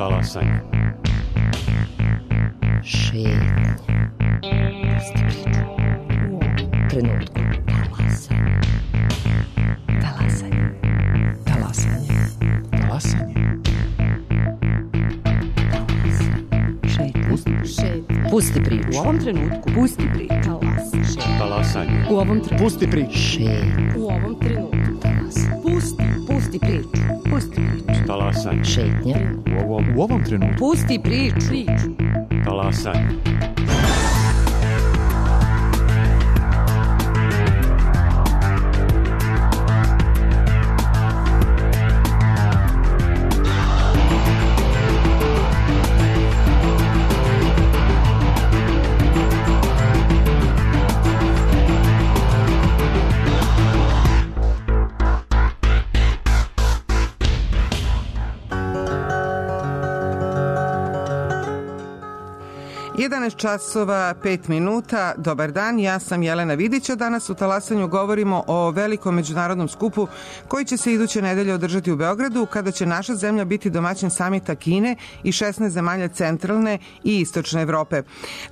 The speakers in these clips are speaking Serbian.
Talasanje. Šetnja. Pusti priču. U ovom trenutku. Talasanje. Talasanje. Talasanje. Šetnja. Pusti priču. U ovom trenutku. Pusti priču. Talasanje. U ovom trenutku. Pusti priču. Šetnja. U ovom trenutku. Pusti priču. Pusti priču. Talasanje. Šetnja. U ovom trenutku. Pusti priču. Talasanje. časova 5 minuta. Dobar dan, ja sam Jelena Vidić, a danas u Talasanju govorimo o velikom međunarodnom skupu koji će se iduće nedelje održati u Beogradu, kada će naša zemlja biti domaćin samita Kine i 16 zemalja centralne i istočne Evrope.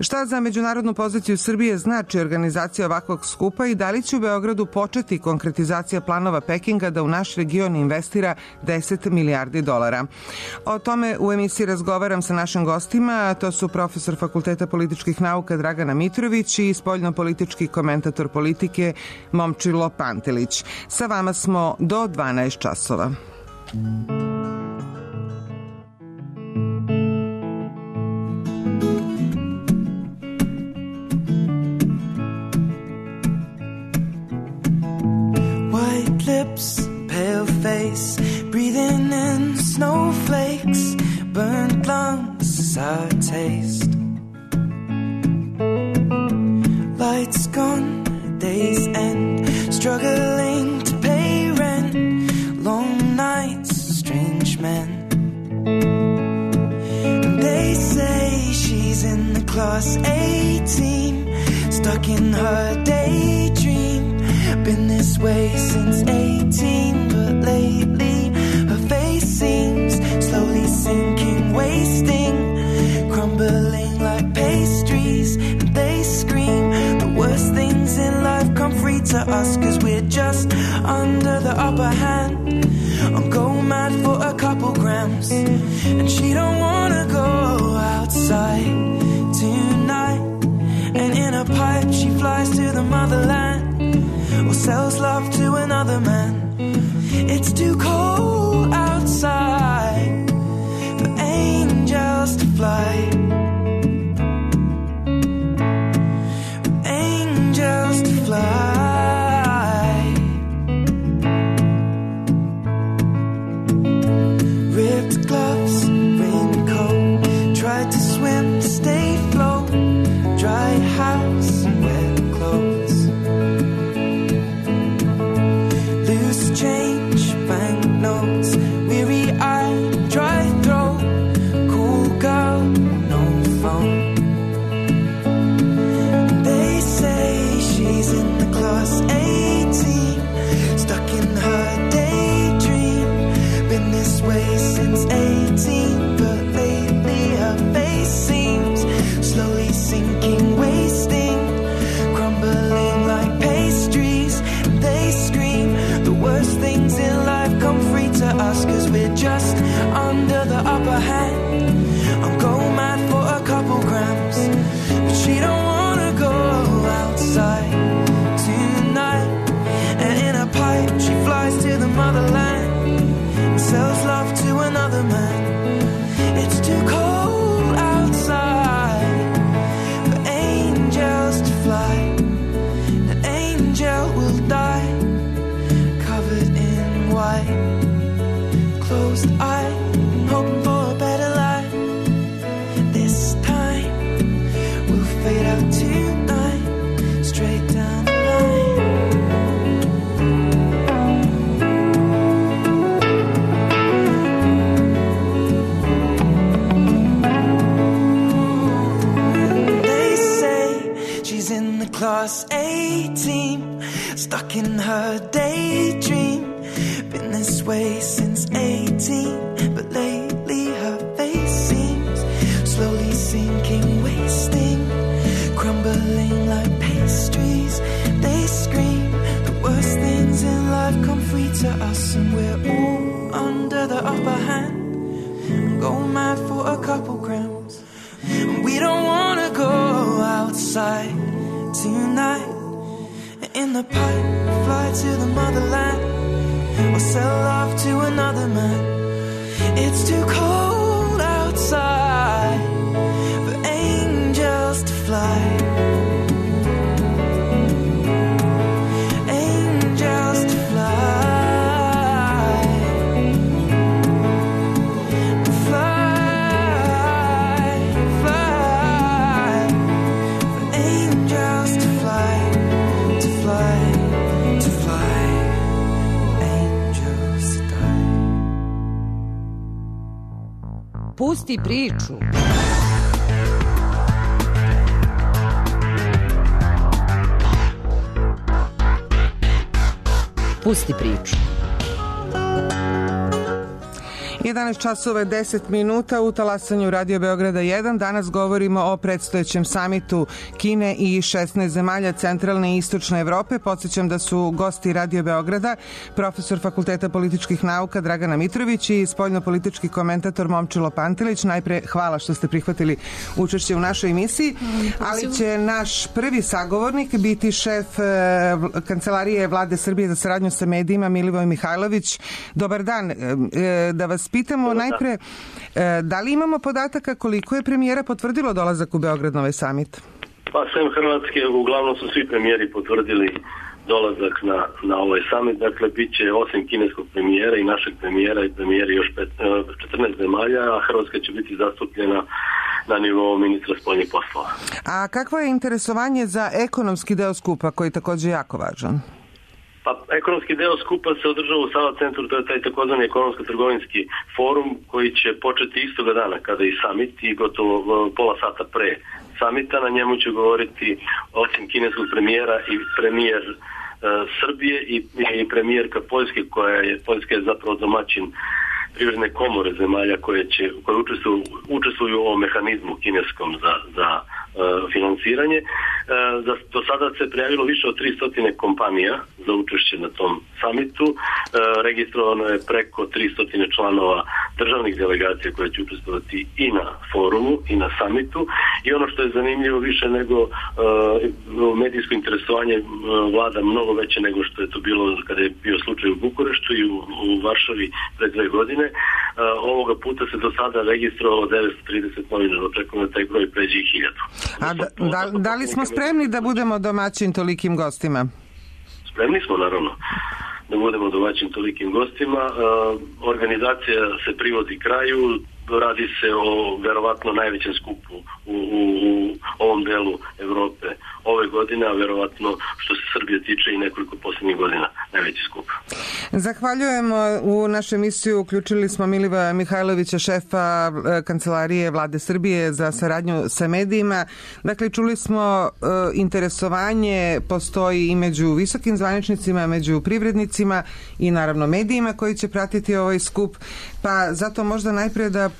Šta za međunarodnu poziciju Srbije znači organizacija ovakvog skupa i da li će u Beogradu početi konkretizacija planova Pekinga da u naš region investira 10 milijardi dolara? O tome u emisiji razgovaram sa našim gostima, to su profesor Fakulteta političkih nauka Dragana Mitrović i spoljno-politički komentator politike Momčilo Pantelić. Sa vama smo do 12 časova. White lips, pale face, breathing in snowflakes, burnt lungs is our taste. Lights gone, days end, struggling to pay rent, long nights, strange men. And they say she's in the class A team, stuck in her daydream, been this way since 18, but lately her face seems slowly sinking, wasting, crumbling like pastries, and they scream the worst things in life come free to us, cause we're just under the upper hand. I'm go mad for a couple grams, and she don't wanna go outside tonight, and in a pipe she flies to the motherland, or sells love to another man. It's too cold outside for angels to fly, for angels to fly. Ripped gloves, raincoat, tried to swim to stay afloat, dry house and wet clothes, loose change, banknotes, weary-eyed, dry throat, cool girl, no phone. They say she's in the class 18, stuck in her daydream, been this way since 18, but lately her face seems slowly sinking, wasting, crumbling like pastries, and they scream the worst things in life come free to us, cause we're just under the upper hand. I'm go mad for a couple grams, but she don't wanna go outside tonight, and in a pipe she flies to the motherland and sells love to another man. It's too cold outside for angels to fly, an angel will die covered in white, closed eye, hoping for a better life. This time we'll fade out tonight, straight down the line. They say she's in the class A team, stuck in her daydream, been this way since 18, but lately her face to us, and we're all under the upper hand. Go mad for a couple grams. We don't wanna go outside tonight. In the pipe, fly to the motherland, or sell love to another man. It's too cold outside for angels to fly. Angels to fly. Pusti priču. Pusti priču. 11 časova 10 minuta u talasanju Radio Beograda 1. Danas govorimo o predstojećem samitu Kine i 16 zemalja centralne i istočne Evrope. Podsjećam da su gosti Radio Beograda profesor Fakulteta političkih nauka Dragana Mitrović i spoljno-politički komentator Momčilo Pantelić. Najpre hvala što ste prihvatili učešće u našoj emisiji, ali će naš prvi sagovornik biti šef Kancelarije Vlade Srbije za saradnju sa medijima Milivoj Mihajlović. Dobar dan, da vas pitamo najpre, da li imamo podataka koliko je premijera potvrdilo dolazak u Beograd na ovaj samit? Pa sem Hrvatske, uglavnom su svi premijeri potvrdili dolazak na ovaj samit. Dakle, bit će osim kineskog premijera i našeg premijera i premijeri još 14 zemalja, a Hrvatska će biti zastupljena na nivou ministra spoljnih poslova. A kakvo je interesovanje za ekonomski deo skupa, koji je također jako važan? Pa, ekonomski deo skupa se održava u Sava centru, to je taj takozvani ekonomsko-trgovinski forum koji će početi istoga dana kada je summit i gotovo pola sata pre samita. Na njemu će govoriti osim kineskog premijera i premijer Srbije i premijerka Poljske, Poljska je zapravo domaćin privredne komore zemalja koje učestvuju u ovom mehanizmu kineskom za finansiranje. Do sada se prijavilo više od 300 kompanija za učešće na tom samitu. Registrovano je preko 300 članova državnih delegacija koje će učestvovati i na forumu i na samitu. I ono što je zanimljivo više nego medijsko interesovanje vlada mnogo veće nego što je to bilo kada je bio slučaj u Bukureštu i u Varšavi pre 2 godine. Ovoga puta se do sada registrovalo 930 novinara. Očekujemo da taj broj pređe i 1000. A da li smo spremni da budemo domaćin tolikim gostima? Spremni smo, naravno, da budemo domaćin tolikim gostima. Organizacija se privodi kraju. Radi se o verovatno najvećem skupu u ovom delu Evrope ove godine, a verovatno što se Srbije tiče i nekoliko posljednjih godina najveći skup. Zahvaljujemo. U našu emisiju uključili smo Milivoja Mihajlovića, šefa Kancelarije Vlade Srbije za saradnju sa medijima. Dakle, čuli smo interesovanje postoji i među visokim zvaničnicima, među privrednicima i naravno medijima koji će pratiti ovaj skup. Pa zato možda najprije da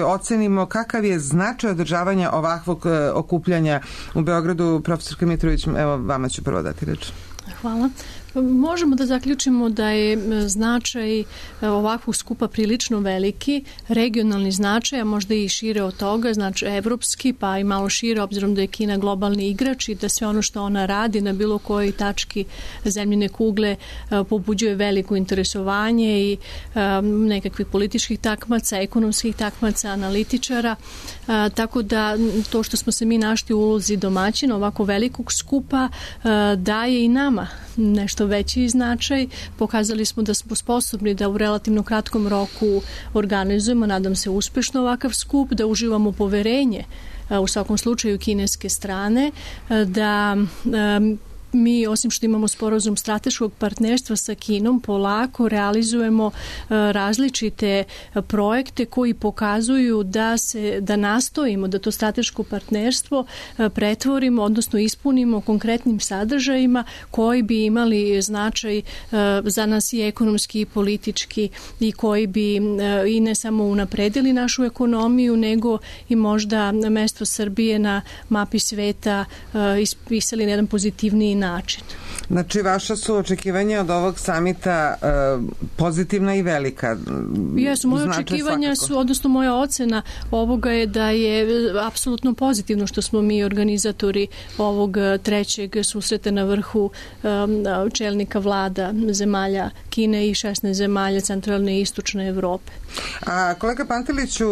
ocenimo kakav je značaj održavanja ovakvog okupljanja u Beogradu. Profesor Mitrović, evo vama ću prvo dati reč. Hvala. Možemo da zaključimo da je značaj ovakvog skupa prilično veliki, regionalni značaj, a možda i šire od toga, znači evropski, pa i malo šire, obzirom da je Kina globalni igrač i da sve ono što ona radi na bilo kojoj tački zemljine kugle pobuđuje veliko interesovanje i nekakvih političkih takmaca, ekonomskih takmaca, analitičara, tako da to što smo se mi našli u ulozi domaćina ovako velikog skupa daje i nama nešto veći značaj. Pokazali smo da smo sposobni da u relativno kratkom roku organizujemo, nadam se uspešno ovakav skup, da uživamo poverenje u svakom slučaju kineske strane, da mi, osim što imamo sporazum strateškog partnerstva sa Kinom, polako realizujemo različite projekte koji pokazuju da nastojimo da to strateško partnerstvo pretvorimo, odnosno ispunimo konkretnim sadržajima koji bi imali značaj za nas i ekonomski i politički i koji bi i ne samo unapredili našu ekonomiju, nego i možda mesto Srbije na mapi sveta ispisali na jedan pozitivniji način. Znači, vaša su očekivanja od ovog samita pozitivna i velika. Jesu, moje očekivanja su, odnosno moja ocena ovoga je da je apsolutno pozitivno što smo mi organizatori ovog trećeg susreta na vrhu čelnika vlada zemalja Kine i 16 zemalja centralne i istočne Evrope. A kolega Panteliću,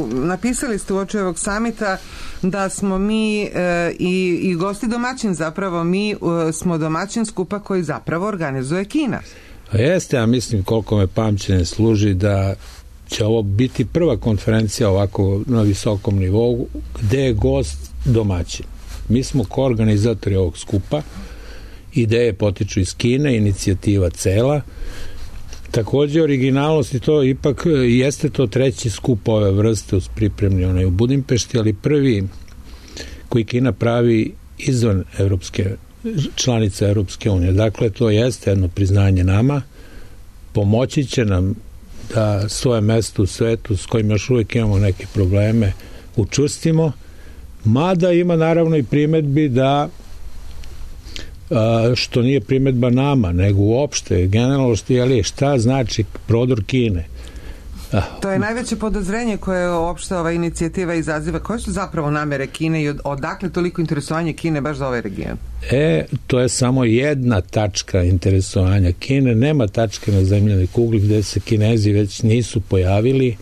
napisali ste uoči ovog samita da smo mi i gosti domaćin, zapravo mi smo domaćin skupa koji zapravo organizuje Kina. A jeste, ja mislim koliko me pamćenje služi da će ovo biti prva konferencija ovako na visokom nivou gde je gost domaćin. Mi smo koorganizatori ovog skupa, ideje potiču iz Kine, inicijativa cela. Takođe, originalnost i to ipak jeste to treći skup ove vrste uz pripremni onaj u Budimpešti, ali prvi koji Kina pravi izvan članica Evropske unije. Dakle, to jeste jedno priznanje nama, pomoći će nam da svoje mesto u svetu s kojim još uvijek imamo neke probleme učvrstimo, mada ima naravno i primetbi da što nije primetba nama, nego uopšte generalno šta znači prodor Kine. To je najveće podozrenje koje uopšte ova inicijativa izaziva. Koje su zapravo namere Kine i odakle toliko interesovanje Kine baš za ovaj region? To je samo jedna tačka interesovanja Kine. Nema tačke na zemljanoj kugli gde se Kinezi već nisu pojavili.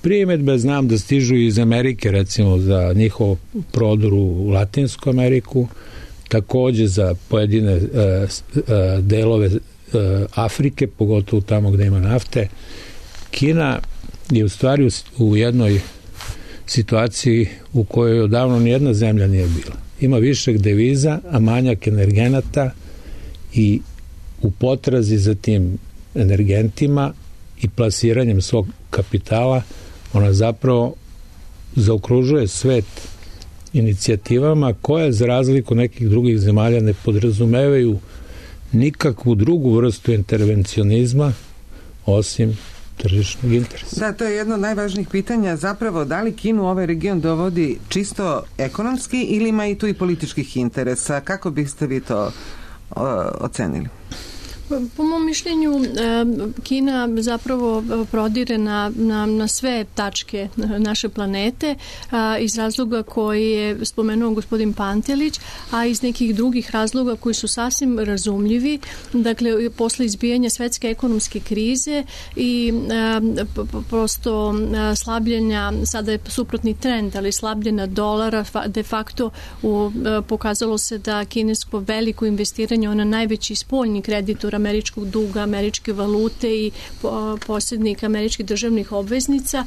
Primetbe znam da stižu iz Amerike, recimo za njihov prodor u Latinsku Ameriku, takođe za pojedine delove Afrike, pogotovo tamo gde ima nafte. Kina je u stvari u jednoj situaciji u kojoj odavno nijedna zemlja nije bila. Ima višak deviza, a manjak energenata i u potrazi za tim energentima i plasiranjem svog kapitala ona zapravo zaokružuje svet inicijativama koje za razliku nekih drugih zemalja ne podrazumevaju nikakvu drugu vrstu intervencionizma osim tržišnog interesa. Da, to je jedno od najvažnijih pitanja. Zapravo, da li Kinu ovaj region dovodi čisto ekonomski ili ima i tu i političkih interesa? Kako biste vi to ocenili? Po mom mišljenju, Kina zapravo prodire na sve tačke naše planete iz razloga koji je spomenuo gospodin Pantelić, a iz nekih drugih razloga koji su sasvim razumljivi. Dakle, posle izbijanja svetske ekonomske krize i prosto slabljenja, sada je suprotni trend, ali slabljenja dolara, de facto pokazalo se da kinesko veliko investiranje, ona najveći spoljni kreditor američkog duga, američke valute i posjednik američkih državnih obveznica.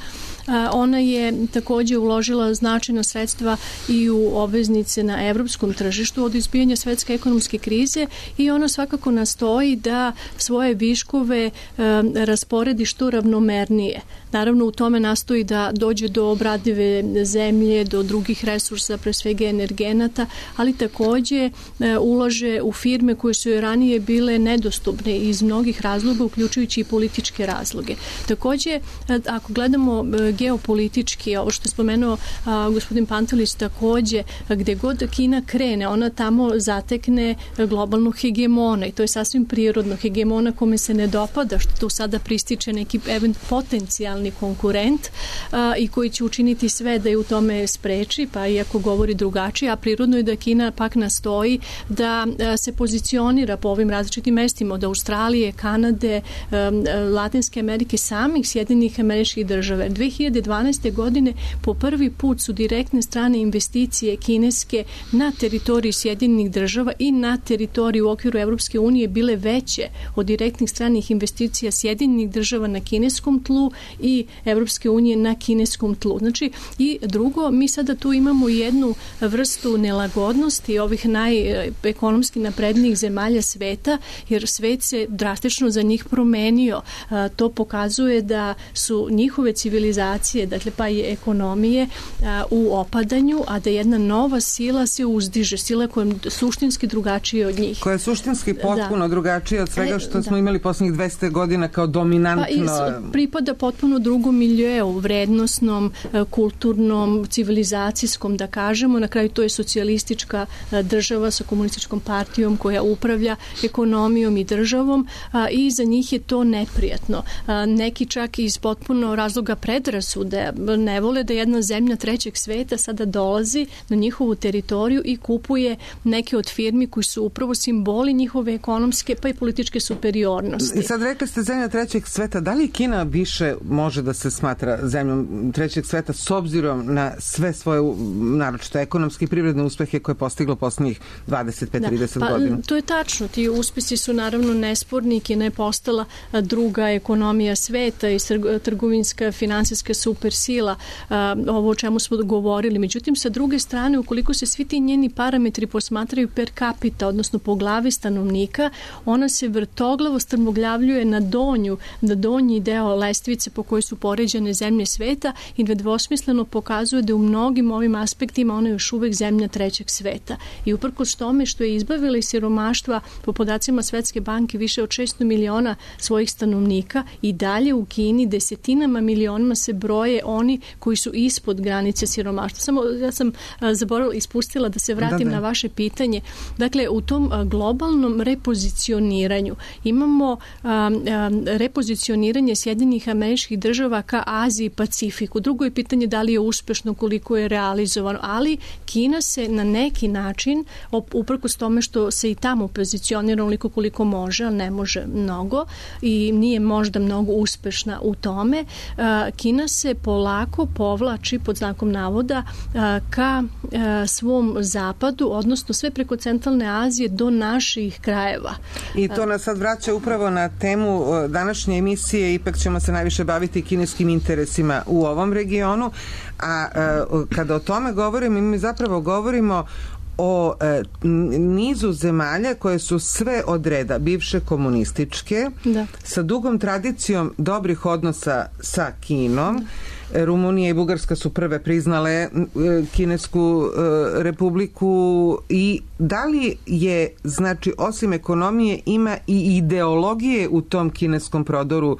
Ona je takođe uložila značajna sredstva i u obveznice na evropskom tržištu od izbijanja svetske ekonomske krize i ona svakako nastoji da svoje viškove rasporedi što ravnomernije. Naravno, u tome nastoji da dođe do obradive zemlje, do drugih resursa, pre svega energenata, ali takođe ulaže u firme koje su joj ranije bile nedostupne iz mnogih razloga, uključujući i političke razloge. Takođe, ako gledamo geopolitički, ovo što je spomenuo gospodin Pantelić, takođe, gde god Kina krene, ona tamo zatekne globalnog hegemona i to je sasvim prirodno. Hegemona kome se ne dopada, što tu sada prističe neki potencijalni konkurent i koji će učiniti sve da je u tome spreči, pa iako govori drugačije, a prirodno je da Kina pak nastoji da se pozicionira po ovim različitim mestima od Australije, Kanade, Latinske Amerike, samih Sjedinjenih Američkih Država. 2012. godine po prvi put su direktne strane investicije kineske na teritoriji Sjedinjenih Država i na teritoriji u okviru Evropske unije bile veće od direktnih stranih investicija Sjedinjenih Država na kineskom tlu i Evropske unije na kineskom tlu. Znači, i drugo, mi sada tu imamo jednu vrstu nelagodnosti ovih najekonomski naprednijih zemalja sveta, jer svet se drastično za njih promenio. To pokazuje da su njihove civilizacije, dakle pa i ekonomije u opadanju, a da jedna nova sila se uzdiže, sila koja je suštinski drugačija od njih. Koja je suštinski potpuno drugačija od svega što smo imali poslednjih 200 godina kao dominantno. Pa pripada potpuno drugom miljeu, vrednosnom, kulturnom, civilizacijskom, da kažemo. Na kraju to je socijalistička država sa komunističkom partijom koja upravlja ekonomijom i državom i za njih je to neprijatno. Neki čak iz potpuno razloga predrasude ne vole da jedna zemlja trećeg sveta sada dolazi na njihovu teritoriju i kupuje neke od firmi koji su upravo simboli njihove ekonomske pa i političke superiornosti. I sad rekli ste zemlja trećeg sveta, da li Kina više može da se smatra zemljom trećeg sveta s obzirom na sve svoje naročito ekonomske i privredne uspehe koje je postiglo poslednjih 25-30 godina? To je tačno. Ti uspesi su naravno nesporni. Kina je postala druga ekonomija sveta i trgovinska, finansijska supersila, ovo o čemu smo govorili. Međutim, sa druge strane, ukoliko se svi ti njeni parametri posmatraju per capita, odnosno po glavi stanovnika, ona se vrtoglavo strmoglavljuje na donji deo lestvice po kojoj su poređane zemlje sveta i nedvosmisleno pokazuje da u mnogim ovim aspektima ona je još uvek zemlja trećeg sveta. I uprkos tome što je izbavila iz siromaštva po podacima Svetske banke više od 600 miliona svojih stanovnika, i dalje u Kini desetinama milionima se broje oni koji su ispod granice siromaštva. Samo ja sam zaboravila, ispustila da se vratim na vaše pitanje. Dakle, u tom globalnom repozicioniranju imamo repozicioniranje Sjedinjenih Američkih Država ka Aziji i Pacifiku. Drugo je pitanje da li je uspešno, koliko je realizovano, ali Kina se na neki način, uprkos tome što se i tamo pozicionira onoliko koliko može, ali ne može mnogo i nije možda mnogo uspešna u tome, Kina se polako povlači pod znakom navoda ka svom zapadu, odnosno sve preko centralne Azije do naših krajeva. I to nas sad vraća upravo na temu današnje emisije, ipak ćemo se najviše baviti kineskim interesima u ovom regionu, a kada o tome govorimo, mi zapravo govorimo o nizu zemalja koje su sve od reda bivše komunističke, sa dugom tradicijom dobrih odnosa sa Kinom. Rumunija i Bugarska su prve priznale Kinesku republiku. I da li je, znači, osim ekonomije ima i ideologije u tom kineskom prodoru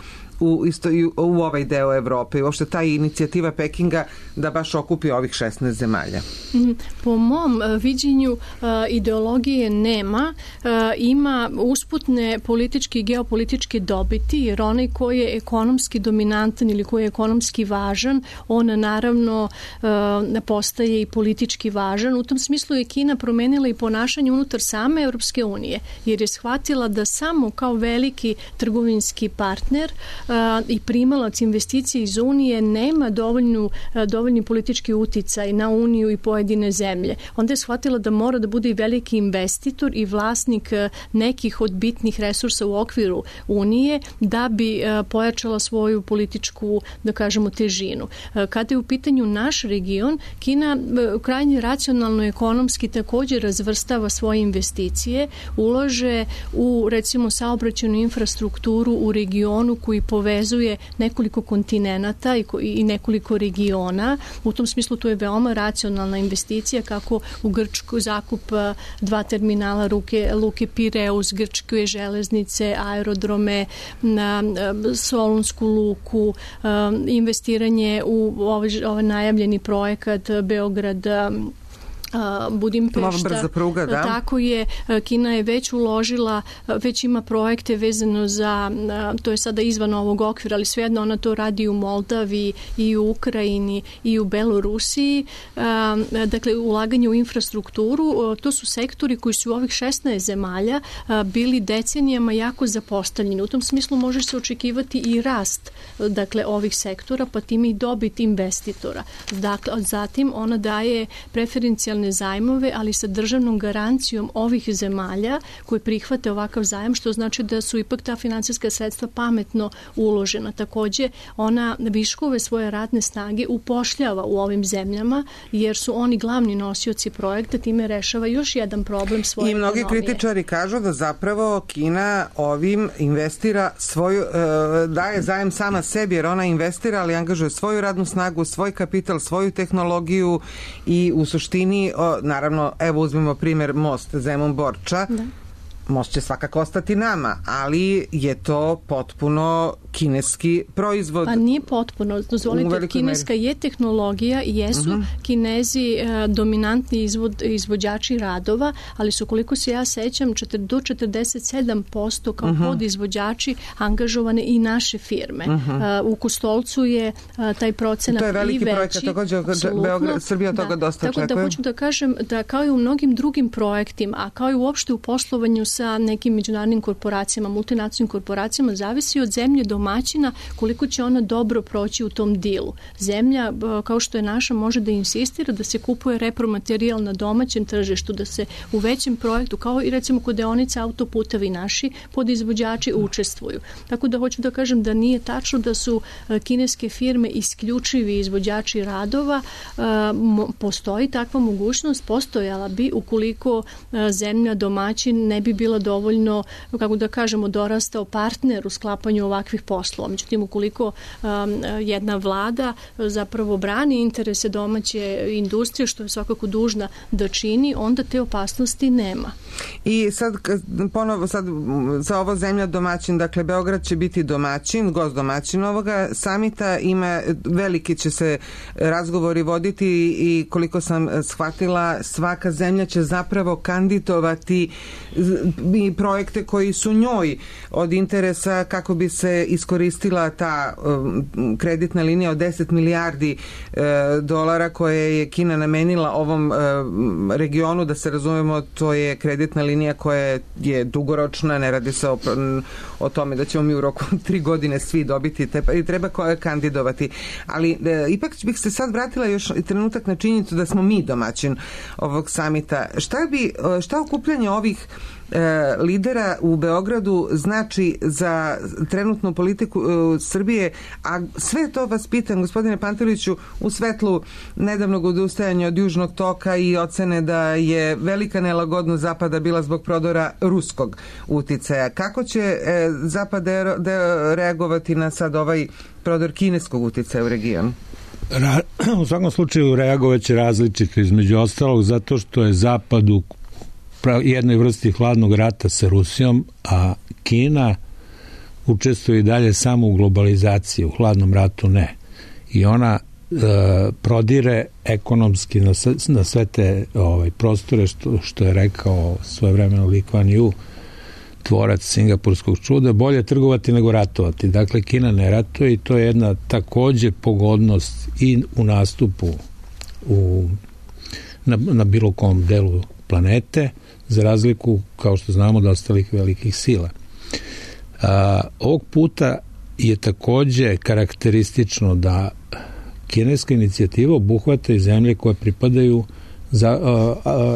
u ovaj deo Evrope i uopšte ta inicijativa Pekinga da baš okupi ovih 16 zemalja? Po mom viđenju ideologije nema, ima usputne političke i geopolitičke dobiti, jer onaj koji je ekonomski dominantan ili koji je ekonomski važan, on naravno postaje i politički važan. U tom smislu je Kina promenila i ponašanje unutar same Evropske unije, jer je shvatila da samo kao veliki trgovinski partner i primalac investicije iz Unije nema dovoljni politički uticaj na Uniju i pojedine zemlje. Onda je shvatila da mora da bude i veliki investitor i vlasnik nekih od bitnih resursa u okviru Unije da bi pojačala svoju političku, da kažemo, težinu. Kada je u pitanju naš region, Kina krajnje racionalno ekonomski također razvrstava svoje investicije, ulaže u, recimo, saobraćajnu infrastrukturu u regionu koji povezuje nekoliko kontinenata i nekoliko regiona. U tom smislu to je veoma racionalna investicija, kako u Grčkoj zakup 2 terminala luke Pireus, grčke železnice, aerodrome, na Solunsku luku, investiranje u ovaj najavljeni projekat Beograd Budimpešta. Brza pruga, da. Tako je, Kina je već uložila, već ima projekte vezano za, to je sada izvan ovog okvira, ali svejedno ona to radi u Moldaviji i u Ukrajini i u Belorusiji. Dakle, ulaganje u infrastrukturu, to su sektori koji su u ovih 16 zemalja bili decenijama jako zapostavljeni. U tom smislu može se očekivati i rast, dakle, ovih sektora, pa time i dobit investitora. Dakle, zatim ona daje preferencijalne individualne zajmove, ali sa državnom garancijom ovih zemalja koji prihvate ovakav zajam, što znači da su ipak ta finansijska sredstva pametno uložena. Takođe, ona viškove svoje radne snage upošljava u ovim zemljama, jer su oni glavni nosioci projekta, time rešava još jedan problem svoje ekonomije. I mnogi kritičari kažu da zapravo Kina ovim investira svoju, daje zajem sama sebi, jer ona investira, ali angažuje svoju radnu snagu, svoj kapital, svoju tehnologiju i u suštini, naravno, evo uzmimo primjer most Zemun-Borča, da. Most će svakako ostati nama, ali je to potpuno kineski proizvod. Pa nije potpuno. Dozvolite, kineska je tehnologija i jesu Kinezi dominantni izvođači radova, ali su, koliko se ja sećam, do 47% kao podizvođači angažovane i naše firme. U Kostolcu je taj procenat i veći. To je veliki projekat, također Srbija od toga dosta očekuje. Tako da hoću da kažem da kao i u mnogim drugim projektima, a kao i uopšte u poslovanju sa nekim međunarodnim korporacijama, multinacionalnim korporacijama, zavisi od zemlje domaćina koliko će ona dobro proći u tom dilu. Zemlja, kao što je naša, može da insistira da se kupuje repromaterijal na domaćem tržištu, da se u većem projektu, kao i recimo kod deonica autoputevi naši, podizvođači učestvuju. Tako da hoću da kažem da nije tačno da su kineske firme isključivi izvođači radova. Postoji takva mogućnost, postojala bi ukoliko zemlja domaćin ne bi bila dovoljno, kako da kažemo, dorastao partner u sklapanju ovakvih poslova. Međutim, ukoliko jedna vlada zapravo brani interese domaće industrije, što je svakako dužna da čini, onda te opasnosti nema. I sad, ponovo, za ovo zemlja domaćin, dakle, Beograd će biti domaćin, gost domaćin ovoga samita, veliki će se razgovori voditi i koliko sam shvatila, svaka zemlja će zapravo kandidovati i projekte koji su njoj od interesa kako bi se iskoristila ta kreditna linija od 10 milijardi dolara koje je Kina namenila ovom regionu, da se razumemo, to je kreditna linija koja je dugoročna, ne radi se o tome da ćemo mi u roku 3 godine svi dobiti i treba kandidovati. Ali ipak bih se sad vratila još trenutak na činjenicu da smo mi domaćin ovog samita. Šta okupljanje ovih lidera u Beogradu znači za trenutnu politiku Srbije, a sve to vas pitam, gospodine Pantoviću, u svetlu nedavnog odustajanja od Južnog toka i ocene da je velika nelagodnost Zapada bila zbog prodora ruskog uticaja. Kako će Zapad reagovati na sad ovaj prodor kineskog uticaja u regionu? U svakom slučaju reagovaće različito, između ostalog zato što je Zapad u jednoj vrsti hladnog rata sa Rusijom, a Kina učestvuje i dalje samo u globalizaciji, u hladnom ratu ne. I ona prodire ekonomski na sve te prostore, što je rekao svojevremeno Lee Kuan Yew, tvorac singapurskog čuda, bolje trgovati nego ratovati. Dakle, Kina ne ratuje i to je jedna takođe pogodnost i u nastupu na bilo kom delu planete, za razliku, kao što znamo, od ostalih velikih sila. Ovog puta je takođe karakteristično da kineska inicijativa obuhvata i zemlje koje pripadaju za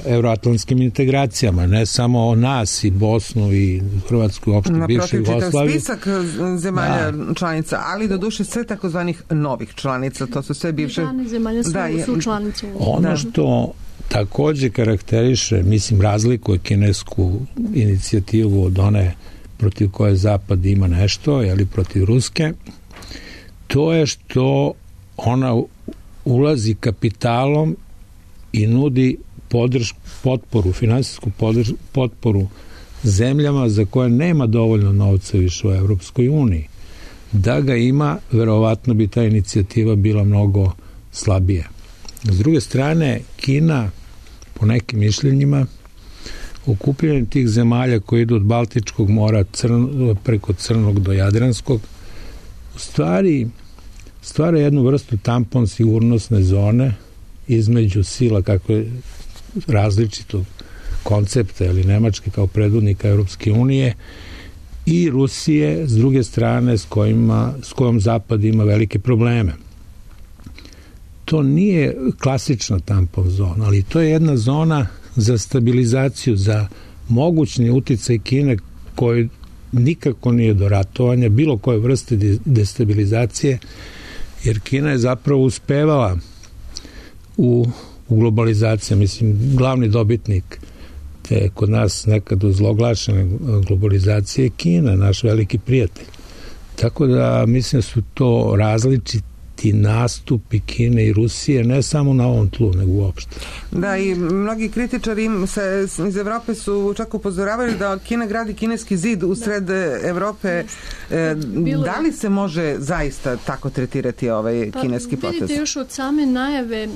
euroatlantskim integracijama, ne samo nas i Bosnu i Hrvatsku, uopšte bivšu Jugoslaviju. Spisak zemalja članica, ali do duše sve takozvanih novih članica, to su sve bivše. Zemalja su članice. Ono što takođe karakteriše, mislim, razlikuje kinesku inicijativu od one protiv koje Zapad ima nešto, ali protiv Ruske, to je što ona ulazi kapitalom i nudi potporu, finansijsku potporu zemljama za koje nema dovoljno novca više u Evropskoj uniji. Da ga ima, verovatno bi ta inicijativa bila mnogo slabija. S druge strane, Kina, po nekim mišljenjima, okupljanje tih zemalja koji idu od Baltičkog mora preko Crnog do Jadranskog, u stvari stvara jednu vrstu tampon sigurnosne zone između sila, kako je različitog koncepta, ili Nemačke kao predvodnika Europske unije, i Rusije, s druge strane, s kojom Zapad ima velike probleme. to nije klasična tampon zona, ali to je jedna zona za stabilizaciju, za mogućni uticaj Kine koji nikako nije do ratovanja, bilo koje vrste destabilizacije, jer Kina je zapravo uspevala u globalizaciji, mislim, glavni dobitnik te kod nas nekad uzloglašene globalizacije je Kina, naš veliki prijatelj. Tako da mislim da su to različiti nastupi Kine i Rusije, ne samo na ovom tlu, nego uopšte. Da, i mnogi kritičari iz Evrope su čak upozoravali da Kina gradi kineski zid usred Evrope. Da li se može zaista tako tretirati ovaj kineski potez? Vidite, još od same najave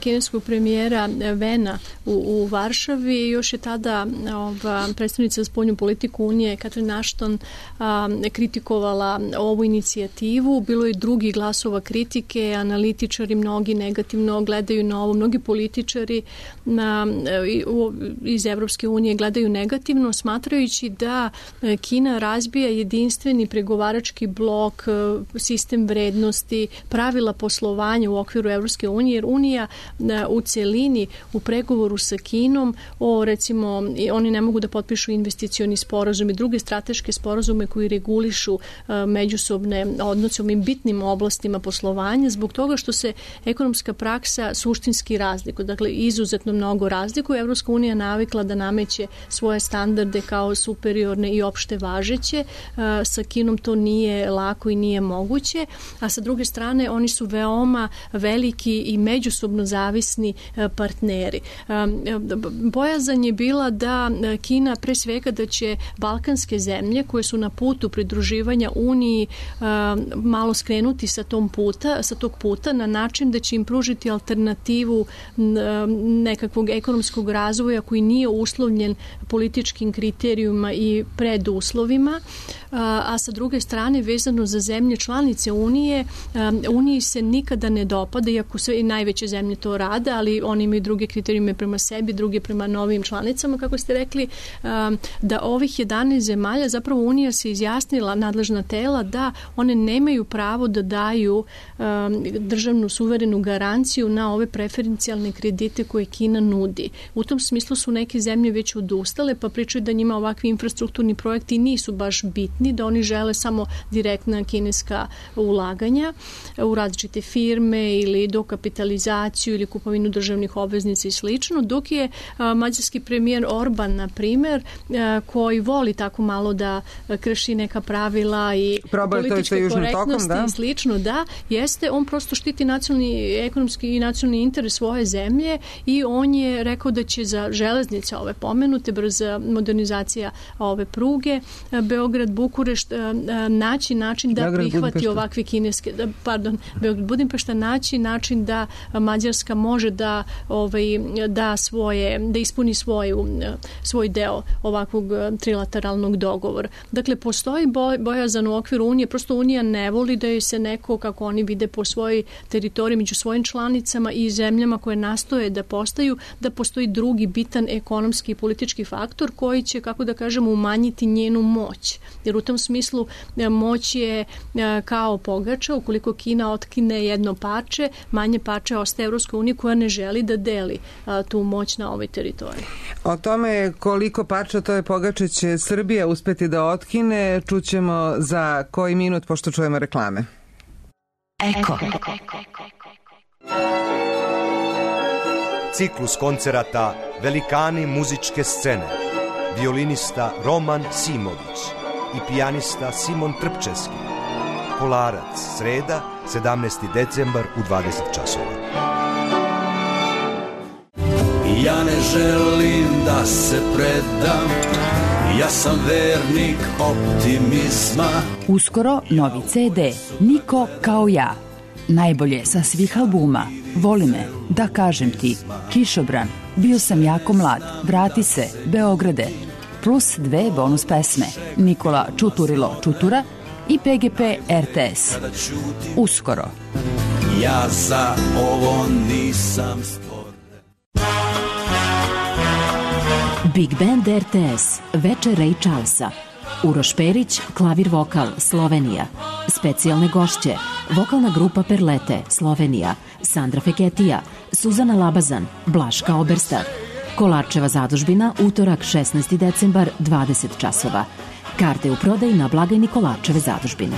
kineskog premijera Vena u Varšavi, još je tada predstavnica za spoljnu politiku Unije Catherine Ashton kritikovala ovu inicijativu. Bilo je drugi glasova kritike, analitičari mnogi negativno gledaju na ovo, mnogi političari iz Evropske unije gledaju negativno, smatrajući da Kina razbija jedinstveni pregovarački blok, sistem vrednosti, pravila poslovanja u okviru Evropske unije, jer Unija u celini u pregovoru sa Kinom recimo, oni ne mogu da potpišu investicioni sporazum i druge strateške sporazume koji regulišu međusobne odnose u ovim bitnim oblastima poslovanja, zbog toga što se ekonomska praksa suštinski razlikuje. Dakle, izuzetno mnogo razlikuje. Evropska unija navikla da nameće svoje standarde kao superiorne i opšte važeće. Sa Kinom to nije lako i nije moguće, a sa druge strane oni su veoma veliki i međusobno zavisni partneri. Bojazan je bila da Kina, pre svega da će balkanske zemlje koje su na putu pridruživanja Uniji malo skrenuti sa tog puta na način da će im pružiti alternativu nekakvog ekonomskog razvoja koji nije uslovljen političkim kriterijuma i preduslovima, a sa druge strane vezano za zemlje članice Unije, Uniji se nikada ne dopada, iako sve i najveće zemlje to rade, ali oni imaju druge kriterijume prema sebi, druge prema novim članicama, kako ste rekli, da ovih 11 zemalja, zapravo Unija se izjasnila, nadležna tela, da one nemaju pravo da daju državnu suverenu garanciju na ove preferencijalne kredite koje Kina nudi. U tom smislu su neke zemlje već odustale, pa pričaju da njima ovakvi infrastrukturni projekti nisu baš bitni, da oni žele samo direktna kineska ulaganja u različite firme ili dokapitalizaciju ili kupovinu državnih obveznica i slično, dok je mađarski premijer Orban, na primer, koji voli tako malo da krši neka pravila i političke korektnosti i slično, da, jeste, on prosto štiti nacionalni, ekonomski i nacionalni interes svoje zemlje i on je rekao da će za železnice ove pomenute, brza modernizacija ove pruge, Beograd-Bukurešt, naći način da prihvati ovakve kineske, Beograd-Budimpešta, naći način da Mađarska može da ispuni svoj deo ovakvog trilateralnog dogovora. Dakle, postoji bojazan u okviru Unije, prosto Unija ne voli da joj se neko, kako oni vide po svojoj teritoriji, među svojim članicama i zemljama koje nastoje da postaju, da postoji drugi bitan ekonomski i politički faktor koji će, kako da kažemo, umanjiti njenu moć. Jer u tom smislu moć je kao pogača, ukoliko Kina otkine jedno parče, manje parče ostaje Evropska unija koja ne želi da deli tu moć na ovoj teritoriji. O tome koliko parča to je pogače će Srbija uspeti da otkine, čućemo za koji minut, pošto čujemo reklame. Eko. Ciklus koncerata Velikani muzičke scene. Violinista Roman Simović i pijanista Simon Trpčevski. Kolarac, sreda, 17. decembar u 20 časova. Ja ne želim da se predam, ja sam vernik optimizma. Uskoro novi CD, Niko kao ja. Najbolje sa svih albuma. Voli me, da kažem ti, Kišobran, bio sam jako mlad, vrati se, Beograde. Plus 2 bonus pesme, Nikola Čuturilo Čutura i PGP RTS. Uskoro. Ja za ovo nisam stvoren. Big Band RTS, večer Ray Charlesa. Uroš Perić, klavir vokal, Slovenija. Specijalne gošće, vokalna grupa Perlete, Slovenija. Sandra Feketija, Suzana Labazan, Blaška Oberstar. Kolarčeva zadužbina, utorak 16. decembar, 20 časova. Karte u prodaji na blagajni Kolarčeve zadužbine.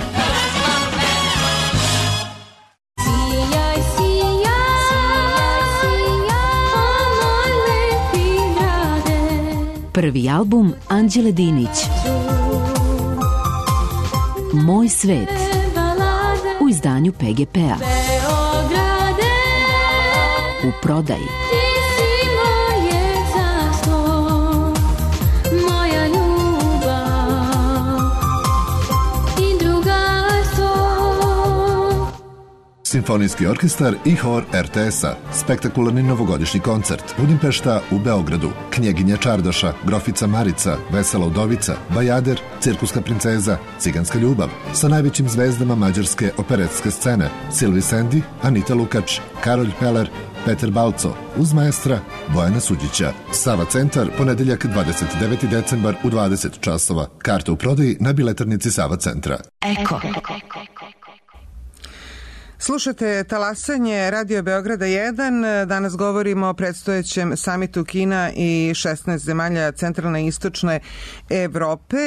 Prvi album Anđele Dinić, Moj svet, u izdanju PGP-a. U prodaji. Simfonijski orkestar i hor RTS-a, spektakularni novogodišnji koncert, Budimpešta u Beogradu, Knjeginja Čardaša, Grofica Marica, Vesela udovica, Bajader, Cirkuska princeza, Ciganska ljubav, sa najvećim zvezdama mađarske operetske scene, Silvi Sendi, Anita Lukač, Karolj Peler, Peter Balco, uz maestra Bojana Suđića. Sava centar, ponedeljak 29. decembar u 20 časova. Karte u prodaji na biletarnici Sava centra. Eko. Slušate talasanje Radio Beograda 1. Danas govorimo o predstojećem samitu Kina i 16 zemalja centralne i istočne Evrope.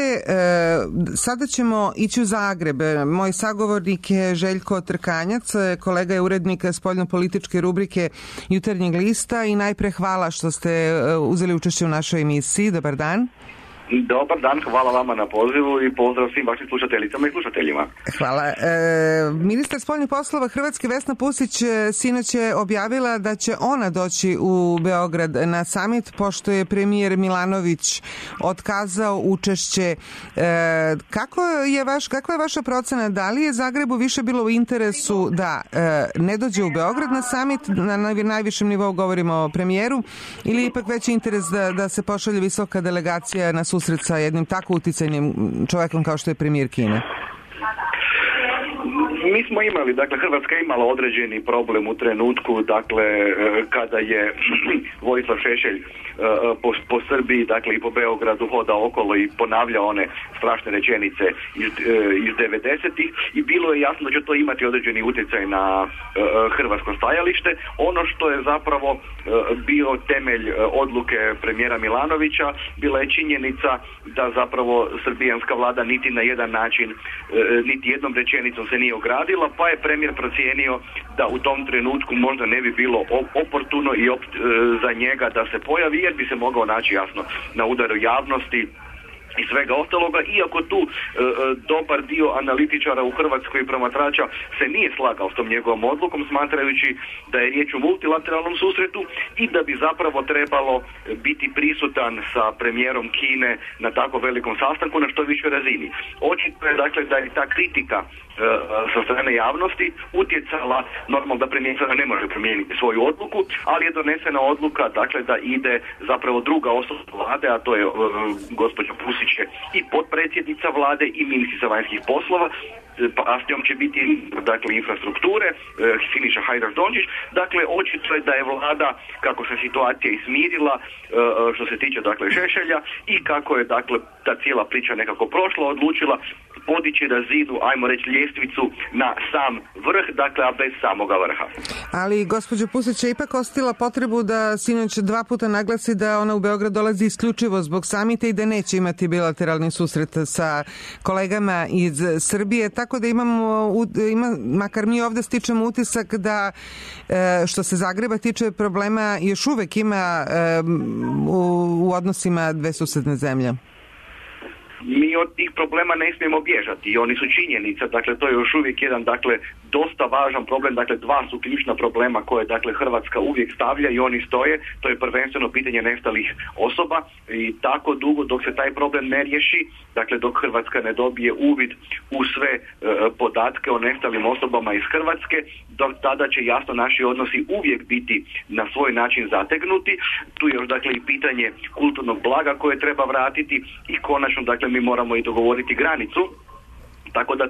Sada ćemo ići u Zagreb. Moj sagovornik je Željko Trkanjac, kolega je urednik spoljnopolitičke rubrike Jutarnjeg lista i najpre hvala što ste uzeli učešće u našoj emisiji. Dobar dan. Dobar dan, hvala vama na pozivu i pozdrav svim vašim slušateljicama i slušateljima. Hvala. Ministar spoljnih poslova Hrvatske Vesna Pusić sinoć je objavila da će ona doći u Beograd na samit, pošto je premijer Milanović otkazao učešće. Kakva je vaša procena? Da li je Zagrebu više bilo u interesu da ne dođe u Beograd na samit, na najvišem nivou govorimo o premijeru, ili ipak veći interes da se pošalje visoka delegacija na susret sa jednim tako uticajnim čovjekom kao što je premijer Kine? Mi smo imali, dakle, Hrvatska je imala određeni problem u trenutku, dakle, kada je Vojislav Šešelj po Srbiji, dakle, i po Beogradu hodao okolo i ponavljao one strašne rečenice iz 90-ih i bilo je jasno da će to imati određeni utjecaj na hrvatsko stajalište. Ono što je zapravo bio temelj odluke premijera Milanovića bila je činjenica da zapravo srbijanska vlada niti na jedan način, niti jednom rečenicom se nije ogradila, pa je premijer procijenio da u tom trenutku možda ne bi bilo oportuno i za njega da se pojavi, jer bi se mogao naći jasno na udaru javnosti i svega ostaloga, iako tu dobar dio analitičara u Hrvatskoj i promatrača se nije slagao s tom njegovom odlukom, smatrajući da je riječ o multilateralnom susretu i da bi zapravo trebalo biti prisutan sa premijerom Kine na tako velikom sastanku na što višoj razini. Očito je, dakle, da je ta kritika sa strane javnosti utjecala, normalno da premijer sada ne može promijeniti svoju odluku, ali je donesena odluka, dakle, da ide zapravo druga osoba vlade, a to je gospođa Pusić i potpredsjednica vlade i ministrica vanjskih poslova, pa s njom će biti, dakle, infrastrukture, Siniša Hajdaš Dončić. Dakle, očito je da je vlada, kako se situacija ismirila što se tiče, dakle, Šešelja i kako je, dakle, ta cijela priča nekako prošla, odlučila podići razinu, ajmo reći, ljestvicu na sam vrh, dakle, a bez samoga vrha. Ali gospođa Pusić je ipak ostila potrebu da sinoć 2 puta naglasi da ona u Beograd dolazi isključivo zbog samita i da neće imati bilateralni susret sa kolegama iz Srbije, tako da makar mi ovde stičemo utisak da što se Zagreba tiče problema još uvek ima u odnosima dve susedne zemlje. Mi od tih problema ne smijemo bježati i oni su činjenica, dakle to je još uvijek jedan, dakle, dosta važan problem, dakle 2 su ključna problema koje, dakle, Hrvatska uvijek stavlja i oni stoje, to je prvenstveno pitanje nestalih osoba i tako dugo dok se taj problem ne riješi, dakle dok Hrvatska ne dobije uvid u sve podatke o nestalim osobama iz Hrvatske, dok tada će jasno naši odnosi uvijek biti na svoj način zategnuti. Tu je još, dakle, i pitanje kulturnog blaga koje treba vratiti i konačno, dakle, mi moramo i dogovoriti granicu, tako da